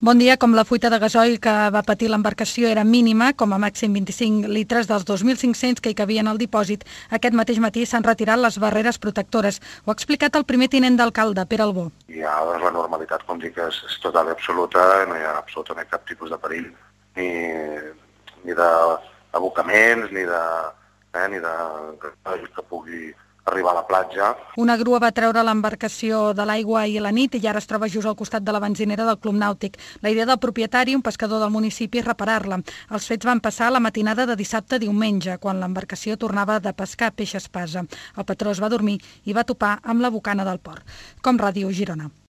Bon dia. Com la fuita de gasoil que va patir l'embarcació era mínima, com a màxim 25 litres dels 2.500 que hi cabien al dipòsit, aquest mateix matí s'han retirat les barreres protectores. Ho ha explicat el primer tinent d'alcalde, Pere Albó. Ja la normalitat, com dic, és total i absoluta, no hi ha absolutament cap tipus de perill, ni d'abocaments, ni de que pugui arribar a la platja. Una grua va treure l'embarcació de l'aigua ahir a la nit i ara es troba just al costat de la benzinera del Club Nàutic. La idea del propietari, un pescador del municipi, és reparar-la. Els fets van passar la matinada de dissabte a diumenge, quan l'embarcació tornava de pescar peix espasa. El patró es va dormir i va topar amb la bocana del port. Com Ràdio Girona.